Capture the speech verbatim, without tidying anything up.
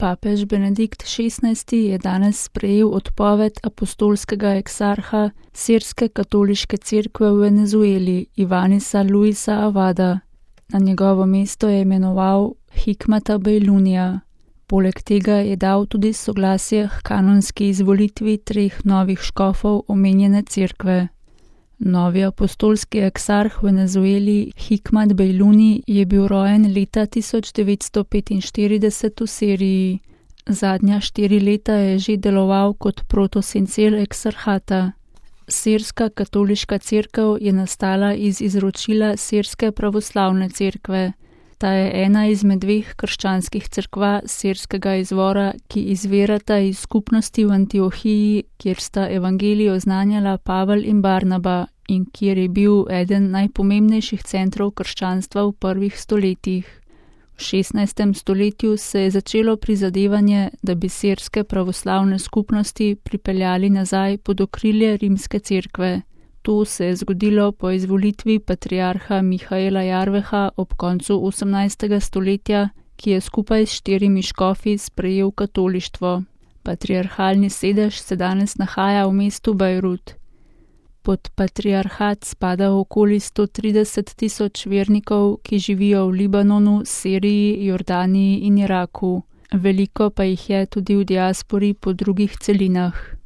Papež Benedikt šestnajsti je danes sprejel odpoved apostolskega eksarha sirske katoliške cerkve v Venezueli Ivanisa Luisa Avada. Na njegovo mesto je imenoval Hikmata Bejlunija. Poleg tega je dal tudi soglasje k kanonski izvolitvi treh novih škofov omenjene cerkve. Novi apostolski eksarh v Venezueli Hikmat Bejluni je bil rojen leta tisoč devetsto petinštirideset v Siriji. Zadnja štiri leta je že deloval kot protosincel eksarhata. Sirska katoliška cerkev je nastala iz izročila Sirske pravoslavne cerkve. Ta je ena izmed dveh krščanskih cerkva sirskega izvora, ki izvirata iz skupnosti v Antiohiji, kjer sta evangelij oznanjala Pavel in Barnaba in kjer je bil eden najpomembnejših centrov krščanstva v prvih stoletjih. V šestnajstem stoletju se je začelo prizadevanje, da bi sirske pravoslavne skupnosti pripeljali nazaj pod okrilje rimske cerkve. To se je zgodilo po izvolitvi patriarha Mihaela Jarveha ob koncu osemnajstega stoletja, ki je skupaj s štirimi škofi sprejel katolištvo. Patriarhalni sedež se danes nahaja v mestu Bejrut. Pod patriarhat spada okoli sto trideset tisoč vernikov, ki živijo v Libanonu, Siriji, Jordaniji in Iraku. Veliko pa jih je tudi v diaspori po drugih celinah.